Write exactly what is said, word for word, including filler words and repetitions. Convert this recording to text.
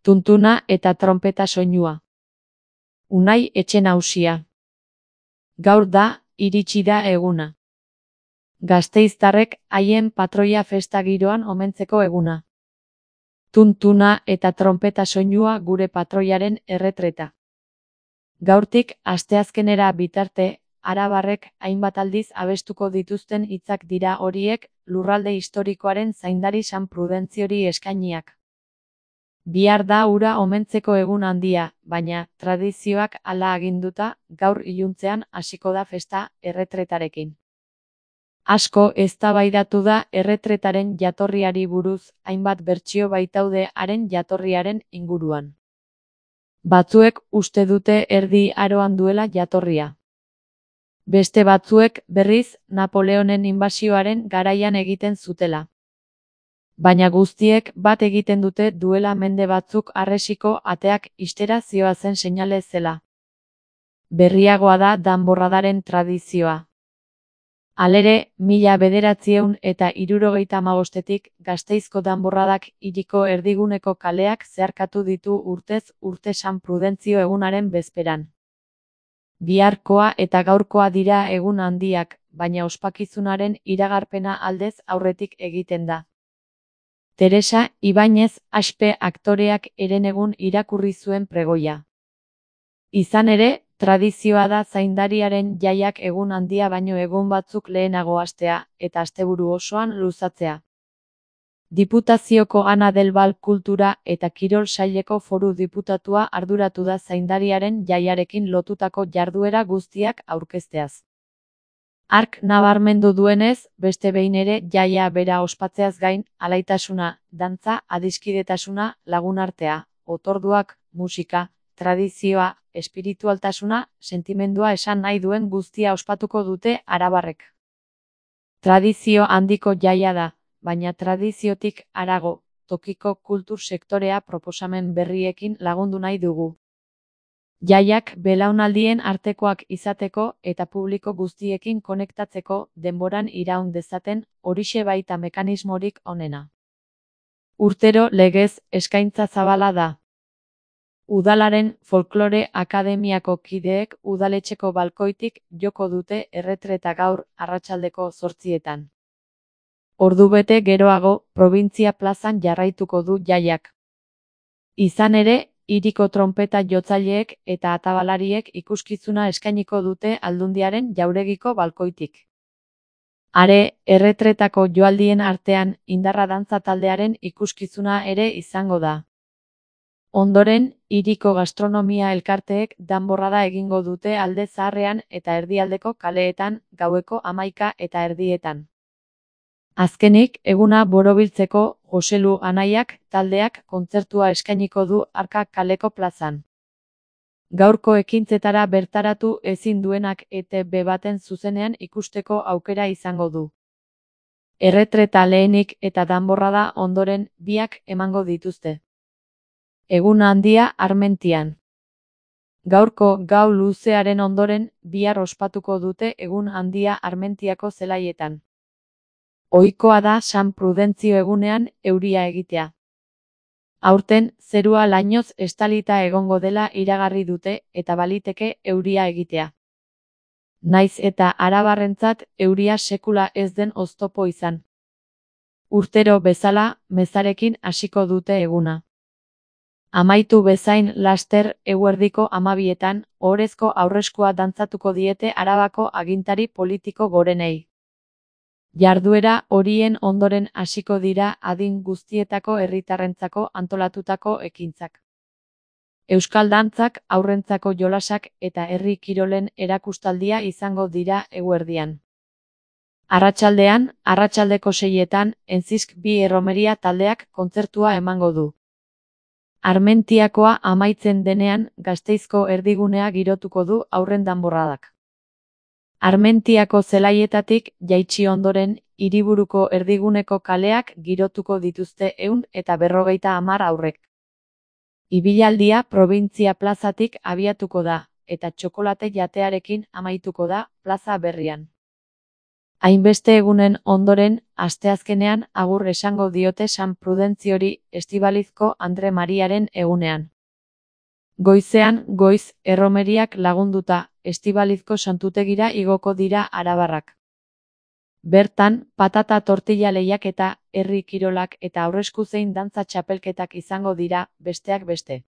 Tuntuna eta tronpeta soinua. Unai Etxenausia. Gaur da, iritsi da eguna. Gasteiztarrek haien patroia festa giroan omentzeko eguna. Tuntuna eta tronpeta soinua gure patroiaren erretreta. Gaurtik asteazkenera bitarte, arabarrek hainbat aldiz abestuko dituzten hitzak dira horiek, lurralde historikoaren zaindari San Prudentziori eskainiak. Bihar da hura omentzeko egun handia, baina, tradizioak hala aginduta, gaur iluntzean hasiko da festa erretretarekin. Asko eztabaidatu da erretretaren jatorriari buruz, hainbat bertsio baitaude haren jatorriaren inguruan. Batzuek uste dute Erdi Aroan duela jatorria. Beste batzuek, berriz, Napoleonen inbasioaren garaian egiten zutela. Baina guztiek bat egiten dute duela mende batzuk harresiko ateak ixtera zihoazen seinale zela. Berriagoa da danborradaren tradizioa. Halere, mila bederatziehun eta hirurogeita hamabostetik Gasteizko danborradak hiriko erdiguneko kaleak zeharkatu ditu urtez urte San Prudentzio egunaren bezperan. Biharkoa eta gaurkoa dira egun handiak, baina ospakizunaren iragarpena aldez aurretik egiten da. Teresa Ibañez Aspe aktoreak herenegun irakurri zuen pregoia. Izan ere, tradizioa da zaindariaren jaiak egun handia baino egun batzuk lehenago hastea, eta asteburu osoan luzatzea. Diputazioko Ana del Val Kultura eta Kirol Saileko foru diputatua arduratu da zaindariaren jaiarekin lotutako jarduera guztiak aurkezteaz. Hark nabarmendu duenez, beste behin ere jaia bera ospatzeaz gain, alaitasuna, dantza, adiskidetasuna, lagunartea, otorduak, musika, tradizioa, espiritualtasuna, sentimendua esan nahi duen guztia ospatuko dute arabarrek. Tradizio handiko jaia da, baina tradiziotik harago, tokiko kultur sektorea proposamen berriekin lagundu nahi dugu. Jaiak belaunaldien artekoak izateko eta publiko guztiekin konektatzeko denboran iraun dezaten, horixe baita mekanismorik onena. Urtero legez eskaintza zabala da. Udalaren Folklore Akademiako kideek udaletxeko balkoitik joko dute erretreta gaur arratsaldeko zortzietan. Ordubete geroago, Probintzia plazan jarraituko du jaiak. Izan ere, hiriko tronpeta jotzaileek eta atabalariek ikuskizuna eskainiko dute Aldundiaren jauregiko balkoitik. Are, erretretako joaldien artean indarra dantza taldearen ikuskizuna ere izango da. Ondoren, hiriko gastronomia elkarteek danborrada egingo dute Alde Zaharrean eta erdialdeko kaleetan, gaueko hamaika eta erdietan. Azkenik, eguna borobiltzeko, Joselu Anaiak taldeak kontzertua eskainiko du Arka kaleko plazan. Gaurko ekintzetara bertaratu ezin duenak E T B baten zuzenean ikusteko aukera izango du. Erretreta lehenik eta danborrada ondoren biak emango dituzte. Egun handia Armentian. Gaurko gau luzearen ondoren bihar ospatuko dute egun handia Armentiako zelaietan. Ohikoa da San Prudentzio egunean euria egitea. Aurten, zerua lainoz estalita egongo dela iragarri dute eta baliteke euria egitea. Naiz eta arabarrentzat euria sekula ez den oztopo izan. Urtero bezala, mezarekin hasiko dute eguna. Amaitu bezain laster eguerdiko hamabietan, ohorezko aurreskua dantzatuko diete Arabako agintari politiko gorenei. Jarduera horien ondoren hasiko dira adin guztietako herritarrentzako antolatutako ekintzak. Euskal dantzak, haurrentzako jolasak eta herri kirolen erakustaldia izango dira eguerdian. Arratsaldean, arratsaldeko seietan, Enzisk bi erromeria taldeak kontzertua emango du. Armentiakoa amaitzen denean, Gasteizko erdigunea girotuko du haurren danborradak. Armentiako zelaietatik jaitsi ondoren, hiriburuko erdiguneko kaleak girotuko dituzte ehun eta berrogeita hamar haurrek. Ibilaldia Probintzia plazatik abiatuko da, eta txokolate jatearekin amaituko da plaza berrian. Hainbeste egunen ondoren, asteazkenean agur esango diote San Prudentziori Estibalizko Andre Mariaren egunean. Goizean, goiz, erromeriak lagunduta, Estibalizko santutegira igoko dira arabarrak. Bertan, patata tortilla lehiaketa, herri kirolak eta aurresku zein dantza txapelketak izango dira, besteak beste.